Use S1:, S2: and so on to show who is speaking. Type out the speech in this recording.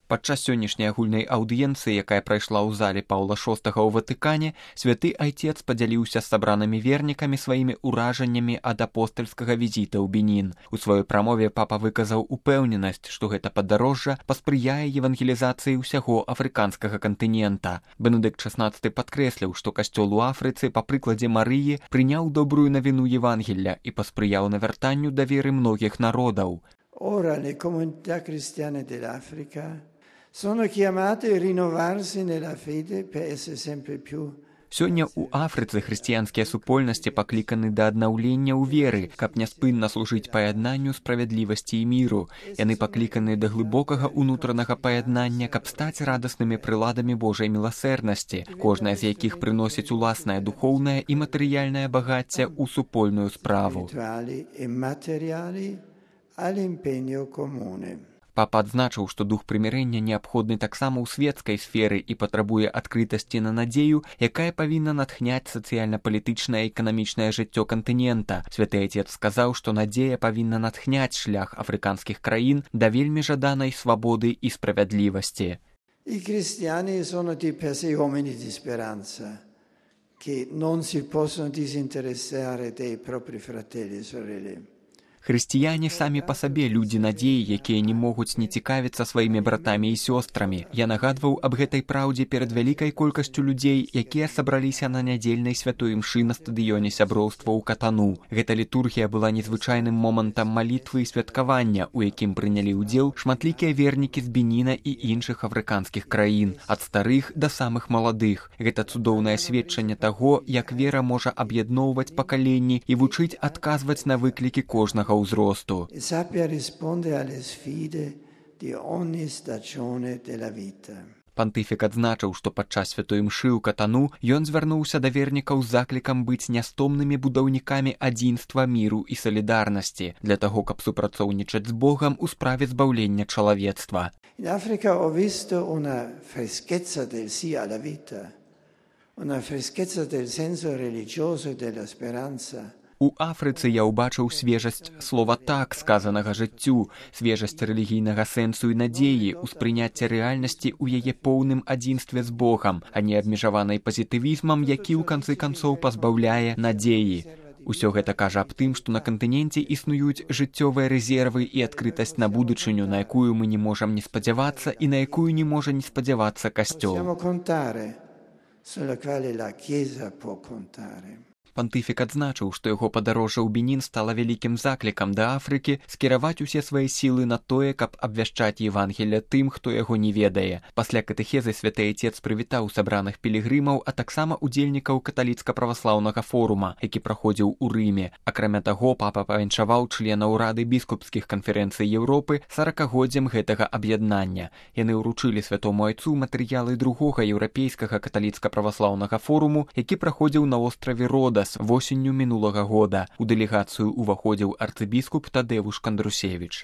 S1: Падчас сённяшняй агульнай аўдыенцыі, якая прайшла ў зале Паўла VI ў Ватыкане, святы айцец падзяліўся з сабранымі вернікамі сваімі ўражаннямі ад апостальскага візіта ў Бенін. У сваёй прамове папа выказаў упэўненасць, што гэта падарожжа паспрыяе евангелізацыі ўсяго афрыканскага кантынента. Бенедыкт XVI падкрэсліў, што касцёл у Афрыцы, па прыкладзе Марыі, прыняў добрую навіну Евангелля і паспрыяў навяртанню да веры многіх народаў.
S2: Ora le comunità cristiane dell'Africa sono chiamate a rinnovarsi nella fede per essere sempre più.
S1: Сёння ў Афрыцы хрысціянскія супольнасці пакліканы да аднаўлення ў веры, каб няспынна служыць паяднанню справядлівасці і міру. Яны пакліканы да глыбокага ўнутранага паяднання, каб стаць радаснымі прыладамі Божай міласэрнасці, кожная з якіх прыносіць уласнае духоўнае і матэрыяльнае багацце ў супольную справу. Папа адзначыў, што дух прымірэння неабходны таксама ў светскай сферы і патрабуе адкрытасці на надзею, якая павінна натхняць сацыяльна-палітычнае і эканамічнае жыццё кантынента. Святы айцец сказаў, што надзея павінна натхняць шлях афрыканскіх краін да вельмі жаданай свабоды і справядлівасці.
S2: I cristiani sono di per sé uomini di speranza, che non si possono disinteressare dei propri fratelli e sorelle.
S1: Хрысціяне самі па сабе людзі надзеі, якія не могуць не цікавіцца сваімі братамі і сёстрамі. Я нагадваў аб гэтай праўдзе перад вялікай колькасцю людзей, якія сабраліся на нядзельнай святой імшы на стадыёне сяброўства ў Катану. Гэта літургія была незвычайным момантам малітвы і святкавання, у якім прынялі ўдзел шматлікія вернікі з Беніна і іншых афрыканскіх краін, ад старых да самых маладых. Гэта цудоўнае сведчанне таго, як вера можа аб'ядноўваць пакаленні і вучыць адказваць на выклікі кожнага ўзросту. Пантыфік адзначыў, што падчас святой імшы ў Катану ён звярнуўся да вернікаў з заклікам быць нястомнымі будаўнікамі адзінства, міру і салідарнасці для таго, каб супрацоўнічаць з Богам у справе збаўлення чалавецтва.
S2: In Africa ho visto una freschezza del sì alla vita, una freschezza del senso religioso e della speranza.
S1: У Афрыцы я ўбачыў свежасць слова «так», сказанага жыццю, свежасць рэлігійнага сэнсу і надзеі, успрыняцце рэальнасці ў яе поўным адзінстве з Богам, а не абмежаванай пазітывізмам, які ў канцы канцоў пазбаўляе надзеі. Усё гэта кажа аб тым, што на кантыненце існуюць жыццёвыя рэзервы і адкрытасць на будучыню, на якую мы не можам не спадзявацца і на якую не можа не спадзявацца касцёл. Пантыфік адзначыў, што яго падарожжа ў Бенін стала вялікім заклікам да Афрыкі скіраваць усе свае сілы на тое, каб абвяшчаць Евангелля тым, хто яго не ведае. Пасля катэхезы святы айцец прывітаў сабраных пілігрымаў, а таксама удзельнікаў каталіцка-праваслаўнага форума, які праходзіў у Рыме. Акрамя таго, папа павіншаваў членаў Рады біскупскіх канферэнцый Еўропы 40-годдзям гэтага аб'яднання. Яны ўручылі святому айцу матэрыялы другога еўрапейскага каталіцка-праваслаўнага форуму, які праходзіў на остраве Родас восенню мінулага года. У дэлегацыю ўваходзіў арцыбіскуп Тадэвуш Кандрусевіч.